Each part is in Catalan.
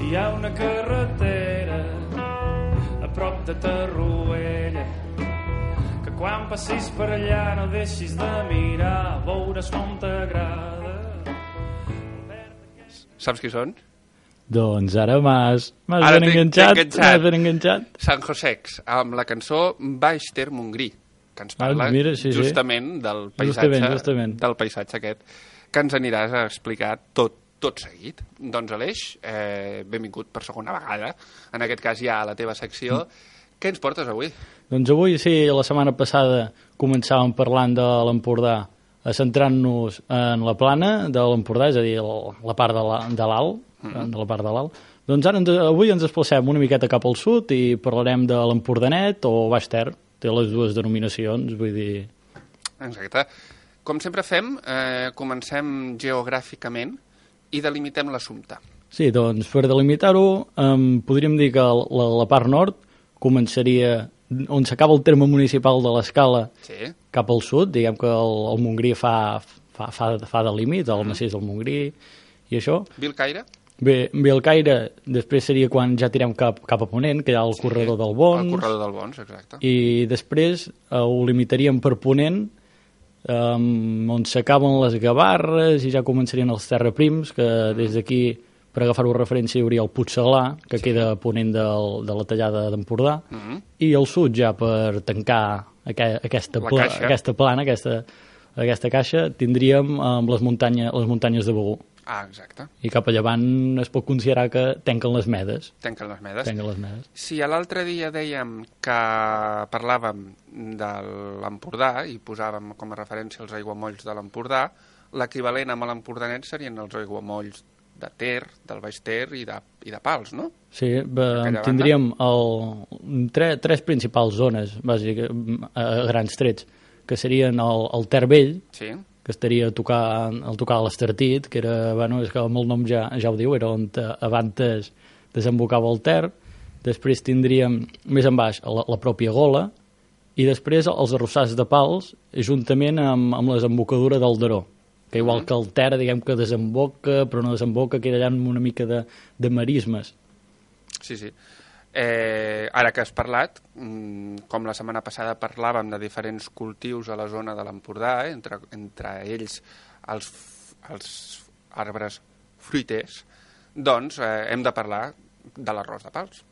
hi ha una carretera a prop de Tarruella que quan passis per allà no deixis de mirar, veuràs com t'agrada. Saps qui són? Doncs ara m'has ben enganxat. San Josex, amb la cançó Baix Ter Montgrí, que ens parla justament del paisatge aquest, que ens aniràs a explicar tot seguit. Doncs Aleix, benvingut per segona vegada, en aquest cas ja a la teva secció. Què ens portes avui? Doncs avui, sí, la setmana passada començàvem parlant de l'Empordà, centrant-nos en la plana de l'Empordà, és a dir, la part de l'alt, de la part de l'alt. Doncs ara avui ens desplacem una miqueta cap al sud i parlarem de l'Empordanet o Baix Ter, té les dues denominacions, vull dir... Exacte. Com sempre fem, comencem geogràficament i delimitem l'assumpte. Sí, doncs per delimitar-ho podríem dir que la part nord començaria on s'acaba el terme municipal de l'Escala cap al sud, diguem que el Montgrí fa de límit, el massís del Montgrí i això. Vilcaire? Bé, Vilcaire després seria quan ja tirem cap a ponent, que hi ha el corredor del Bons. El corredor del Bons, exacte. I després ho limitaríem per ponent, on s'acaben les Gavarres i ja començarien els terraprims, que des d'aquí, per agafar-ho referència, hi hauria el Puigcerdà, que queda a ponent de la tallada d'Empordà, i al sud ja per tancar aquesta plana, aquesta caixa, tindríem les muntanyes de Begur. Ah, exacte. I cap a llevant es pot considerar que tanquen les Medes. Tanquen les Medes. Si l'altre dia dèiem que parlàvem de l'Empordà i posàvem com a referència els aiguamolls de l'Empordà, l'equivalent amb l'Empordanet serien els aiguamolls de Ter, del Baix Ter i de Pals, no? Sí, tindríem tres principals zones, bàsicament, a grans trets, que serien el Ter Vell, que estaria a tocar l'Estartit, que era, bueno, és que amb el nom ja ho diu, era on abans desembocava el Ter. Després tindríem més en baix la pròpia Gola i després els arrossars de Pals juntament amb la desembocadura del Daró, que igual que el Ter, diguem que desemboca però no desemboca, queda allà amb una mica de marismes. Sí. Ara que has parlat, com la setmana passada parlàvem de diferents cultius a la zona de l'Empordà, entre ells els arbres fruiters, doncs hem de parlar de l'arròs de Pals.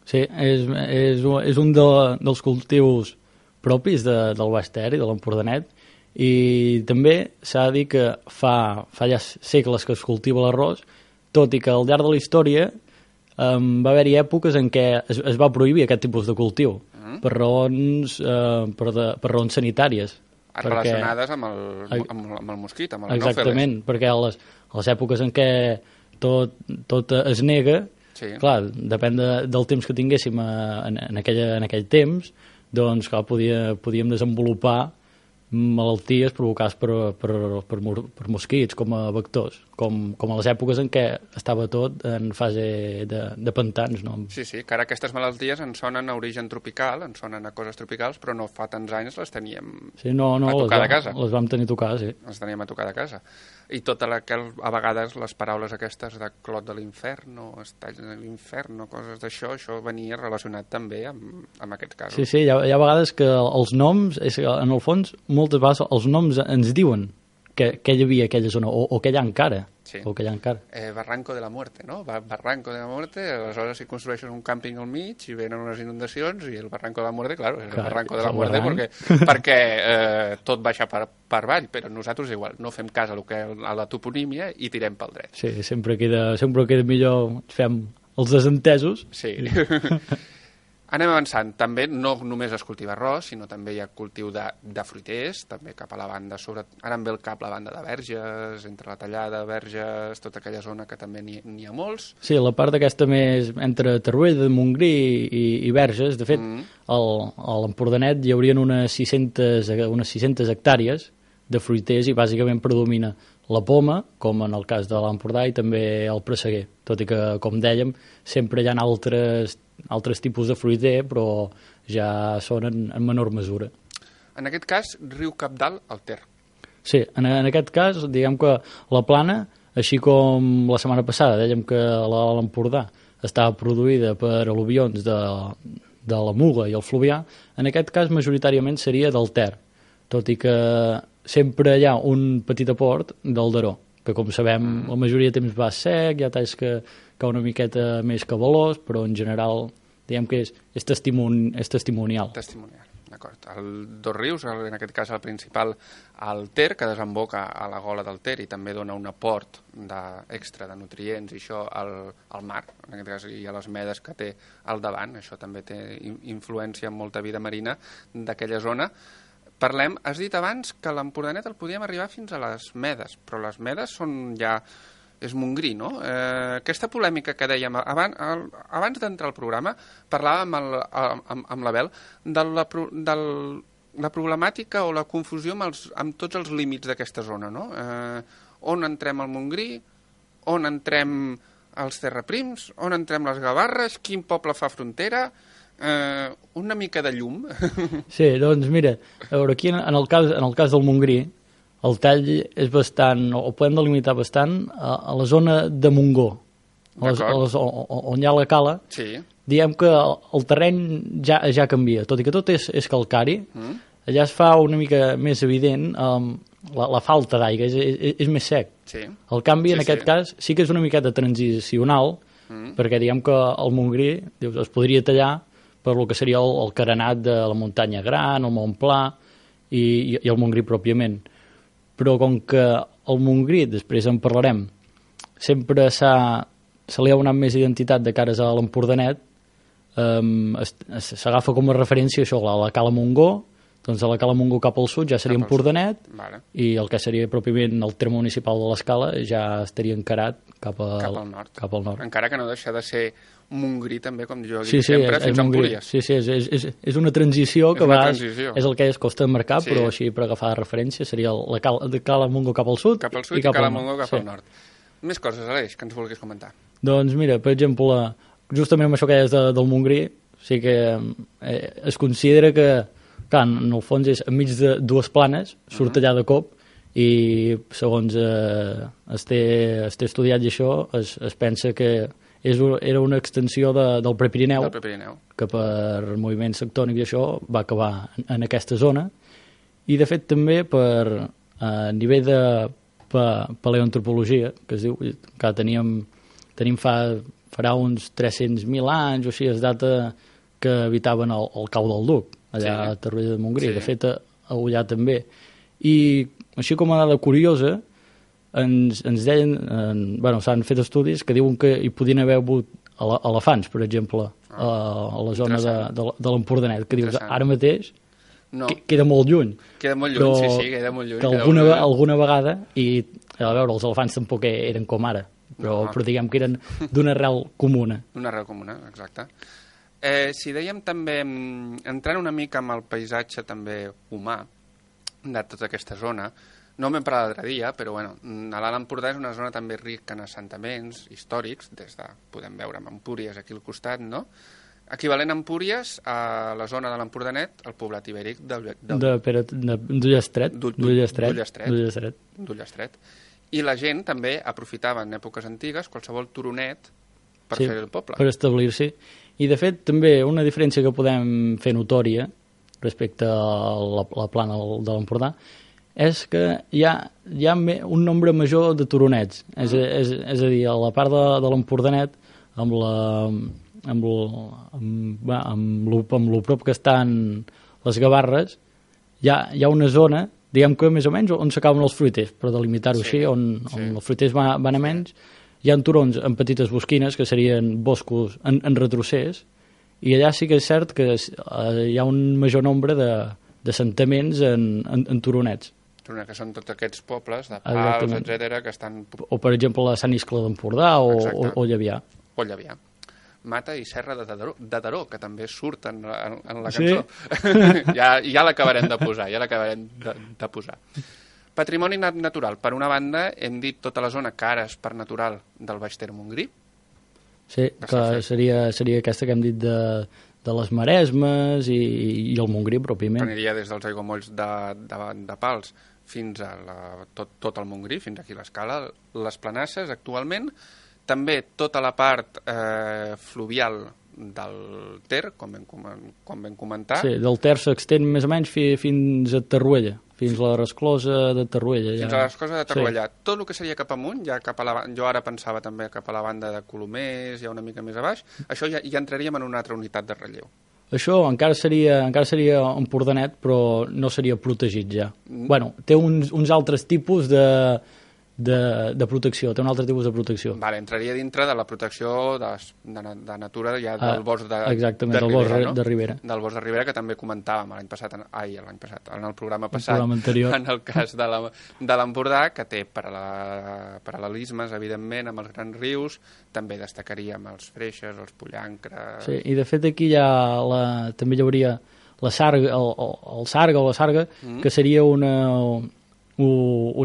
Sí, és un dels cultius propis del Baix Ter i de l'Empordanet, i també s'ha de dir que fa ja segles que es cultiva l'arròs, tot i que al llarg de la història va haver-hi èpoques en què es va prohibir aquest tipus de cultiu per raons sanitàries. Relacionades amb el mosquit, amb el anòfeles. Exactament, perquè a les èpoques en què tot es nega, clar, depèn del temps que tinguéssim en aquell temps, doncs clar, podíem desenvolupar malalties provocades per mosquits com a vectors, com a les èpoques en què estava tot en fase de pantans, no? Sí, que ara aquestes malalties ens sonen a origen tropical, ens sonen a coses tropicals, però no fa tants anys les teníem a tocar de casa. Les vam tenir a tocar, sí. Les teníem a tocar de casa. I a vegades les paraules aquestes de clot de l'inferno, estalls de l'inferno, coses d'això, això venia relacionat també amb aquests casos. Sí, hi ha vegades que els noms, en el fons, moltes vegades els noms ens diuen que hi havia aquella zona, o que hi ha encara. Sí. O que hi ha encara. Barranco de la Muerte, no? Barranco de la Muerte, aleshores si construeixes un càmping al mig i venen unes inundacions i el Barranco de la Muerte, claro, és el Barranco de la Muerte perquè tot baixa per avall, però nosaltres igual no fem cas a la toponímia i tirem pel dret. Sí, sempre queda millor, fem els desentesos. Sí. Anem avançant. També no només es cultiva arròs, sinó també hi ha cultiu de fruiters, també cap a la banda, ara em ve el cap la banda de Verges, entre la Tallada, Verges, tota aquella zona que també n'hi ha molts. Sí, la part aquesta més entre Tarruella, Montgrí i Verges, de fet, a l'Empordanet hi haurien unes 600 hectàrees de fruiters i bàsicament predomina la poma, com en el cas de l'Empordà, i també el presseguer, tot i que, com dèiem, sempre hi ha altres tipus de fruiter, però ja són en menor mesura. En aquest cas, riu Cabdal al Ter. Sí, en aquest cas, diguem que la plana, així com la setmana passada dèiem que l'Empordà estava produïda per al·luvions de la Muga i el Fluvià, en aquest cas majoritàriament seria del Ter, tot i que sempre hi ha un petit aport del Daró, que com sabem la majoria de temps va sec, hi ha talls que una miqueta més cabalós, però en general diguem que és testimonial. Testimonial, d'acord. El Dos Rius, en aquest cas el principal, el Ter, que desemboca a la gola del Ter i també dona un aport extra de nutrients i això al mar, en aquest cas, i a les medes que té al davant, això també té influència en molta vida marina d'aquella zona. Parlem, has dit abans que l'Empordanet el podíem arribar fins a les Medes, però les Medes són ja... és Montgrí, no? Aquesta polèmica que dèiem abans d'entrar al programa, parlàvem amb l'Abel de la problemàtica o la confusió amb tots els límits d'aquesta zona, no? On entrem al Montgrí, on entrem els Terraprims, on entrem les Gavarres, quin poble fa frontera... una mica de llum. Sí, doncs mira, a veure, aquí en el cas del Montgrí, el tall és bastant, o podem delimitar bastant, a la zona de Montgó, on hi ha la cala, sí. Diem que el terreny ja canvia, tot i que tot és calcari, allà es fa una mica més evident la falta d'aigua, és més sec. Sí. El canvi, en aquest cas, sí que és una miqueta transicional, perquè diguem que el Montgrí es podria tallar per lo que seria el carenat de la muntanya Gran, el Montpla i el Montgrí pròpiament. Però com que el Montgrí, després en parlarem, sempre se li ha donat més identitat de cares a l'Empordanet, s'agafa com a referència això, la Cala Montgó, doncs a la Cala Montgó cap al sud ja seria Empordanet, vale. I el que seria pròpiament el terme municipal de l'Escala ja estaria encarat cap al nord. Encara que no deixa de ser Montgrí també, com jo dic sempre, fins a Empúries. Sí, és una transició que és el que es costa de marcar, però així per agafar de referència seria la Cala Montgó cap al sud i Cala Montgó cap al nord. Més coses, Aleix, que ens vulguis comentar. Doncs mira, per exemple, justament amb això que deies del Montgrí, sí que es considera que clar, en el fons és enmig de dues planes, surt allà de cop i segons es té estudiat i això es pensa que era una extensió del Prepirineu, que per moviments tectònics i això va acabar en aquesta zona, i de fet també per nivell de paleoantropologia, que es diu que tenim farà uns 300.000 anys o així, es data que habitaven el Cau del Duc, allà a Torroella de Montgrí, de fet a Ullà també. I així com a dada curiosa, ens deien, s'han fet estudis que diuen que hi podien haver hagut elefants, per exemple, a la zona de l'Empordanet, que dius, ara mateix queda molt lluny. Queda molt lluny, sí, queda molt lluny. Que alguna vegada, i a veure, els elefants tampoc eren com ara, però diguem que eren d'una arrel comuna. D'una arrel comuna, exacte. Si dèiem també, entrant una mica amb el paisatge també humà de tota aquesta zona, no m'hem parlat l'altre dia, però bueno, l'Alt Empordà és una zona també rica en assentaments històrics, podem veure amb Empúries aquí al costat, no? Equivalent a Empúries, a la zona de l'Empordanet, el poblat ibèric d'Ullastret. I la gent també aprofitava en èpoques antigues qualsevol turonet per fer el poble. Per establir-s'hi. I de fet també una diferència que podem fer notòria respecte a la plana de l'Empordà és que hi ha un nombre major de turonets. És a dir, a la part de l'Empordanet, amb lo prop que estan les Gavarres, hi ha una zona, diguem que més o menys on s'acaben els fruiters, per delimitar-ho així, on els fruiters van a menys. Hi ha turons en petites bosquines, que serien boscos en retrocés, i allà sí que és cert que hi ha un major nombre d'assentaments en turonets. Que són tots aquests pobles de Pals, etcètera, que estan... O, per exemple, la Sant Iscle d'Empordà o Llevià. O Llevià. Mata i Serra de Daró, que també surt en la cançó. Sí? Ja l'acabarem de posar, Patrimoni natural. Per una banda, hem dit tota la zona que ara és parc natural del Baix Ter Montgrí. Sí, que seria aquesta que hem dit de les Maresmes i el Montgrí pròpiament. Aniria des dels aiguamolls de Pals fins a tot el Montgrí, fins aquí a l'Escala. Les Planasses actualment També tota la part fluvial del Ter, com vam comentar. Sí, del Ter s'extén més o menys fins a Tarruella, fins a la resclosa de Tarruella. Fins a la resclosa de Tarruella. Sí. Tot el que seria cap amunt, ja jo ara pensava també cap a la banda de Colomers, ja una mica més a baix, això ja entraríem en una altra unitat de relleu. Això encara seria Empordanet, però no seria protegit ja. Bueno, té uns altres tipus de protecció, té un altre tipus de protecció. Vale, entraria dintre de la protecció de natura ja del bosc de exactament, del Ribera, bosc de Ribera. Del bosc de Ribera, que també comentàvem l'any passat, en el programa passat, anterior. En el cas de l'Empordà, que té paral·lelismes, evidentment, amb els grans rius, també destacaríem els Freixes, els Pollancres... Sí, i de fet aquí també hi hauria la sarga, el sarga o la sarga, que seria un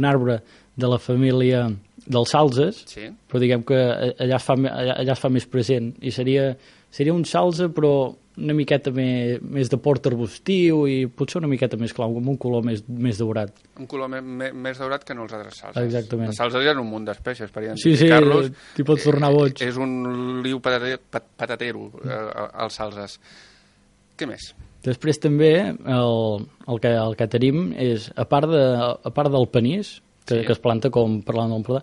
arbre de la família dels salzes, sí. Però diguem que allà es fa més present, i seria un salze però una miqueta més de port arbustiu i potser una miqueta més clar, amb un color més daurat. Un color més daurat que no els altres salzes. Exactament. Els salzes hi ha un munt d'espècies per identificar-los. Sí, t'hi pots tornar boig. És un liu patatero, els salzes. Què més? Després també el que tenim és, a part del panís, que es planta, com parlant d'Empordà,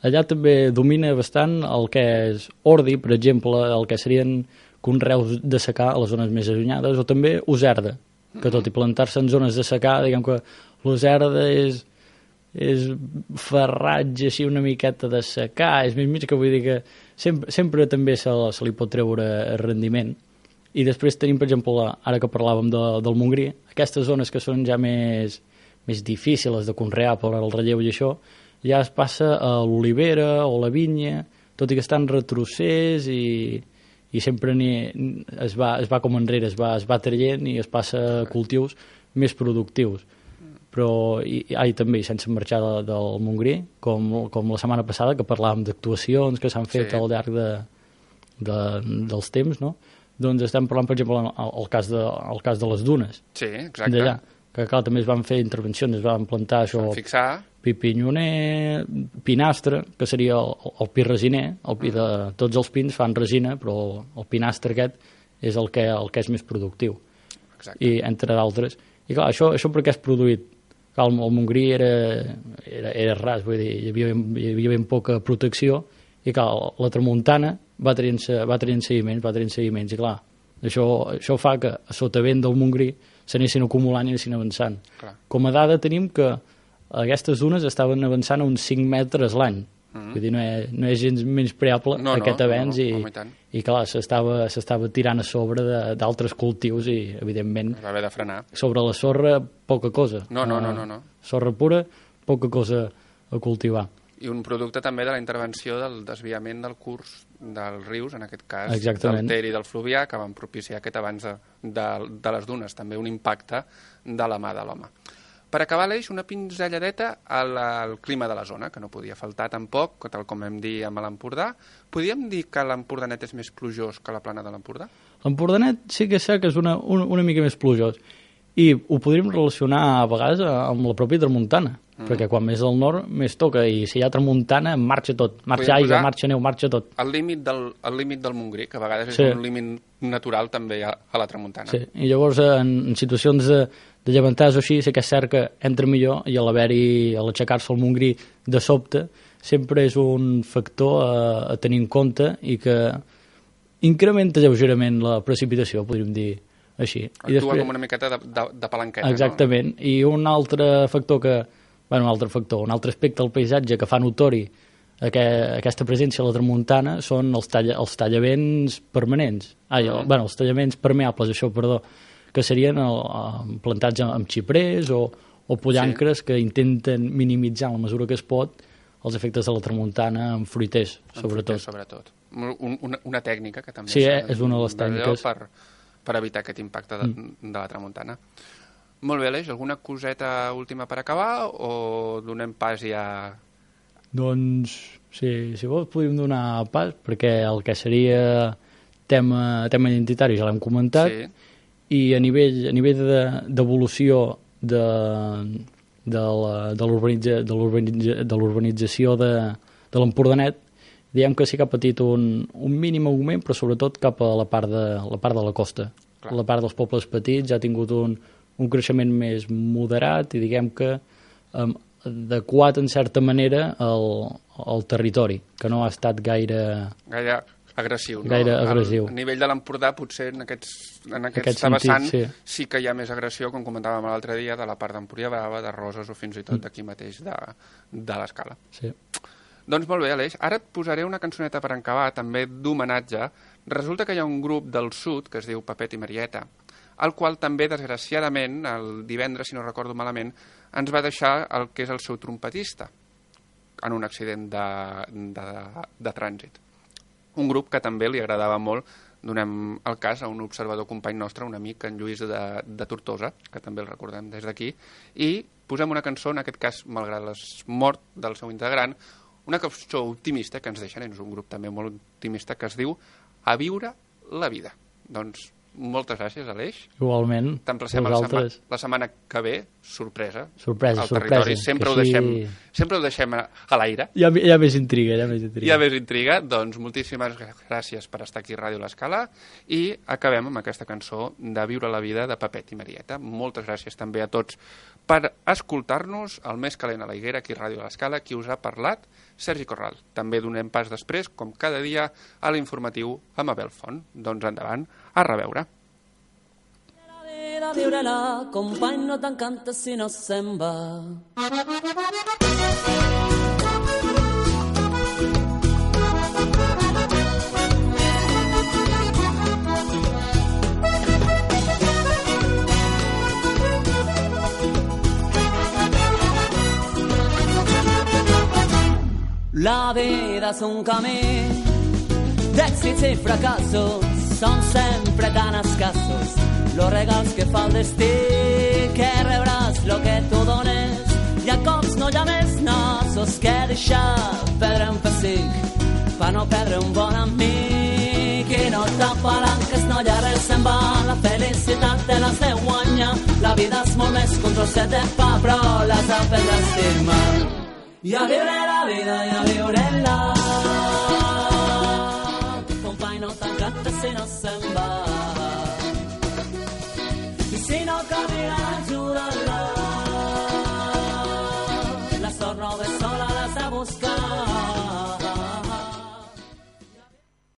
allà també domina bastant el que és ordi, per exemple, el que serien conreus de secà a les zones més allunyades, o també userda, que tot i plantar-se en zones de secà, diguem que l'userda és farratge així una miqueta de secà, és més mig que vull dir que sempre també se li pot treure rendiment. I després tenim, per exemple, ara que parlàvem del Montgrí, aquestes zones que són ja més difícils de conrear per el relleu i això, ja es passa a l'olivera o la vinya, tot i que estan retrocés i sempre es va com enrere, es va traient i es passa a cultius més productius. Però també, sense marxar del Montgrí, com la setmana passada, que parlàvem d'actuacions que s'han fet al llarg dels temps, no? Doncs estem parlant, per exemple, el cas de les dunes. Sí, exacte. D'allà, que clar, també es van fer intervencions, es van plantar això, pipinyoner, pinastre, que seria el pi resiner, el pi de tots els pins fan resina, però el pinastre aquest és el que és més productiu. Exacte. I entre d'altres. I clar, això perquè és produït. Clar, el Montgrí era ras, vull dir, hi havia ben poca protecció, i clar, la tramuntana va traient seguiments, i clar, això fa que a sotavent del Montgrí s'anessin acumulant i anessin avançant. Clar. Com a dada tenim que aquestes dunes estaven avançant a uns 5 metres l'any. Vull dir, no és gens menyspreable aquest avenç, i clar, s'estava tirant a sobre d'altres cultius i, evidentment, va haver de frenar. Sobre la sorra, poca cosa. No. Sorra pura, poca cosa a cultivar. I un producte també de la intervenció del desviament del curs dels rius, en aquest cas exactament, del Ter i del Fluvià, que van propiciar aquest avanç de les dunes, també un impacte de la mà de l'home. Per acabar l'eix, una pinzelladeta al clima de la zona, que no podia faltar tampoc, tal com hem dit amb l'Empordà. Podríem dir que l'Empordanet és més plujós que la plana de l'Empordà? L'Empordanet sí que sé que és una mica més plujós, i ho podríem relacionar a vegades amb la pròpia tramuntana, perquè quan més al nord més toca, i si hi ha tramuntana marxa tot, marxa aigua, marxa neu, marxa tot. El límit del Montgrí, que a vegades és un límit natural també a la tramuntana. Sí, i llavors en situacions de llevantars o així, sí que és cert que entra millor, i a l'aixecar-se al Montgrí de sobte sempre és un factor a tenir en compte, i que incrementa lleugerament la precipitació, podríem dir així. Actua com una miqueta de palanqueta. Exactament, no? I un altre factor un altre aspecte del paisatge que fa notori aquesta presència a la tramuntana són els tallavents permanents. Els tallaments permeables, que serien plantats amb xiprers o pollancres, que intenten minimitzar en la mesura que es pot els efectes de la tramuntana amb fruiters, sobretot. Una tècnica que també és una de les tècniques per evitar aquest impacte de la tramuntana. Molt bé, Aleix, alguna coseta última per acabar o donem pas ja? Doncs, si vols podríem donar pas, perquè el que seria tema identitari ja l'hem comentat, i a nivell d'evolució de l'urbanització de l'Empordanet, diem que sí que ha patit un mínim augment, però sobretot cap a la part de la costa. Clar. La part dels pobles petits ha tingut un creixement més moderat i diguem que adequat en certa manera al territori, que no ha estat gaire agressiu. No? Gaire agressiu. A nivell de l'Empordà, potser en aquesta vessant sí que hi ha més agressió, com comentàvem l'altre dia, de la part d'Empúria Brava, de Roses o fins i tot d'aquí mateix de l'Escala. Sí. Doncs molt bé, Aleix. Ara et posaré una cançoneta per acabar, també d'homenatge. Resulta que hi ha un grup del sud que es diu Pepet i Marieta, el qual també, desgraciadament, el divendres, si no recordo malament, ens va deixar el que és el seu trompetista en un accident de trànsit. Un grup que també li agradava molt. Donem el cas a un observador company nostre, un amic, en Lluís de Tortosa, que també el recordem des d'aquí, i posem una cançó, en aquest cas, malgrat la mort del seu integrant, una cançó optimista que ens deixen, és un grup també molt optimista, que es diu A viure la vida. Doncs moltes gràcies, Aleix. Igualment. T'emplacem la setmana que ve, sorpresa. Sorpresa. Sempre ho deixem a l'aire. Hi ha més intriga. Hi ha més intriga. Doncs moltíssimes gràcies per estar aquí a Ràdio L'Escala i acabem amb aquesta cançó de Viure la vida de Pepet i Marieta. Moltes gràcies també a tots per escoltar-nos. El més calent a la higuera, aquí a Ràdio L'Escala, qui us ha parlat, Sergi Corral. També donem pas després, com cada dia, a l'informatiu amb Abel Font. Doncs endavant, a reveure. Viure-la, company, no t'encanta si no se'n va. La vida és un camí d'èxits i fracassos, són sempre tan escassos los regals que fa el destí, que rebràs lo que tu dones, i a cops no hi ha més nassos que deixar perdre un pessic per no perdre un bon amic. I no t'apalanques, no hi ha res se'n va, la felicitat te l'has de guanyar, la vida és molt més que un trosset de pa, però l'has d'aprendre a estimar. I a viure la vida, i a viure-la, company, no t'encanta si no se'n va. Si no camina, ajuda-la. La sort no ve sola, l'has de buscar.